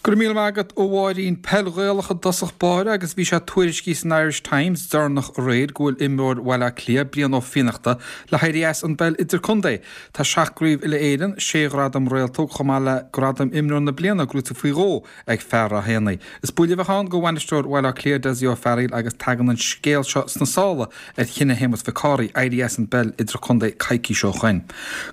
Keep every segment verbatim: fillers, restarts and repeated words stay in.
Go raibh míle maith agat a Mháirín. Peil Ghaelach i dtosach báire agus bhí sé tuairiscithe san Irish Times deireanach aréir go bhfuil imreoir Bhaile Átha Cliath, Brian Ó Fiannachta, le héirí as an bpeil idirchontae. Tá seacht gcraobh uile-Éireann, sé ghradam réaltóg chomh maith le gradam imreoir na bliana gnóthaithe faoi dhó ag fear Ráth Éanaigh. Is buille a bheadh ann do bhainisteoir Bhaile Átha Cliath, Dessie Ó Fearghaíl agus tagann an scéal seo sna sála ar chinneadh Shéamus Mhic Cárthaigh éirí as an bpeil idirchontae coicís ó shoin.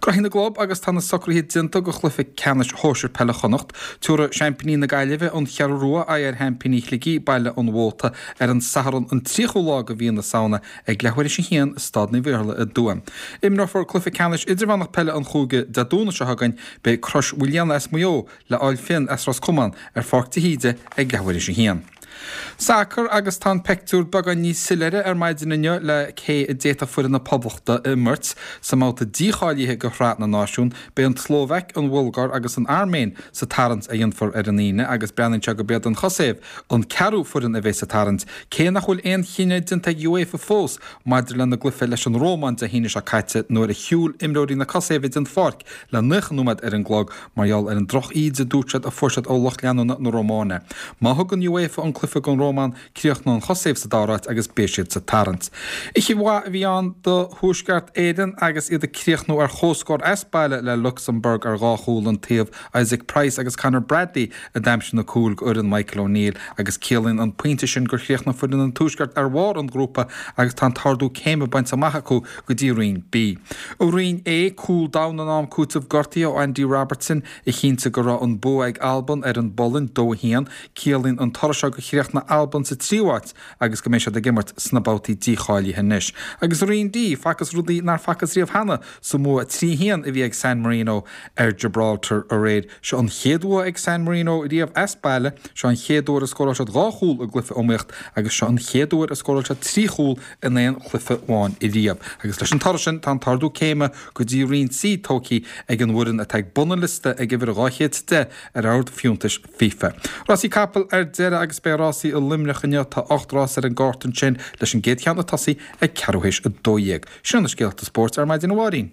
Graithí na gclub agus tá na socruithe déanta do chluiche ceannais shóisir peile Chonnacht. Tabharfaidh seaimpíní na Gaillimhe, An Cheathrú Rua, aghaidh ar sheaimpíní Shligigh, Baile an Mhóta, ar an Satharn an tríochú lá de mhí na Samhna ag leathuair théis a haon i Staid Naomh Iarlaith i dTuaim. Imreofar cluiche ceannais idirmheánach peile an chúige Dé Domhnaigh seo chugainn, beidh Crois Mhaoilíona as Maigh Eo le Áil Finn as Ros Comáin ar Pháirc de hÍde ag leathuair théis a haon. Sacar agus tá an peictiúr beagán níos soiléire ar maidin inniu le cé a d'fhéadfadh foireann na Poblachta a imirt sa mbabhta dícháilithe do Shraith na Náisiún. Beidh an tSlóvaic, an Bhulgáir agus an Airméin sa tarraingt a dhéanfar ar an Aoine agus breathnaíonn sé gurb iad an Chosaiv an ceathrú foireann a bheidh sa tarraingt, cé nach bhfuil aon chinneadh déanta ag UEFA fós maidir lena gcluiche leis an Rómáin Dé hAoine seo caite nuair a shiúil imreoirí na Cosaive den pháirc le naocha nóiméad ar an gclog mar gheall ar an droch-íde a dúirt siad a fuair siad ó lucht leanúna na Rómáine. Má thugann UEFA an cluiche don Rómáin, críochnóidh an Chosaiv sa dara háit agus beidh siad sa tarraingt. Oíche mhaith a bhí ann do Thuaisceart Éireann agus iad ag críochnú ar chomhscór as baile le Lucsamburg ar dhá chúl an taobh. Isaac Price agus Conor Bradley a d'aimsigh na cúil d'fhoireann Michael O'Neill agus ciallaíonn an pointe sin gur chríochnaigh foireann an Tuaiscirt ar bharr an ghrúpa agus tá an t-ardú céime bainte amach acu go dtí Roinn B. I Roinn A, cúl domhain in am cúitimh gortaithe ó Andy Robertson a chinntigh go raibh an bua ag Albain ar an bPolainn, dó a haon. Ciallaíonn an toradh seo gur chríochnaigh Albain sa tríú háit agus go mbeidh siad ag imirt sna babhtaí dícháilithe anois. Agus i Roinn D, facthas rudaí nár facthas riamh cheana sa mbua trí a haon a bhí ag San Marino ar Gibraltar aréir. Seo an chéad bhua ag San Marino riamh as baile, seo an chéad uair a scóráil siad dhá chúl i gcluiche iomaíocht agus seo an chéad uair a scóráil siad trí chúl in aon chluiche amháin riamh. Agus leis an toradh sin, tá an t-ardú céime go dtí Roinn C tógtha ag an bhfoireann atá ag bun an liosta ag uimhir dhá chéad is deich ar ord fiúntais FIFA. Rásaí capall ar deireadh agus beidh rásaí i Luimneach inniu. Tá ocht rás ar an gcárta ansin leis an gcéad cheann ag tosaí ag ceathrú théis a dó dhéag. Sin na scéalta spóirt ar maidin a Mháirín.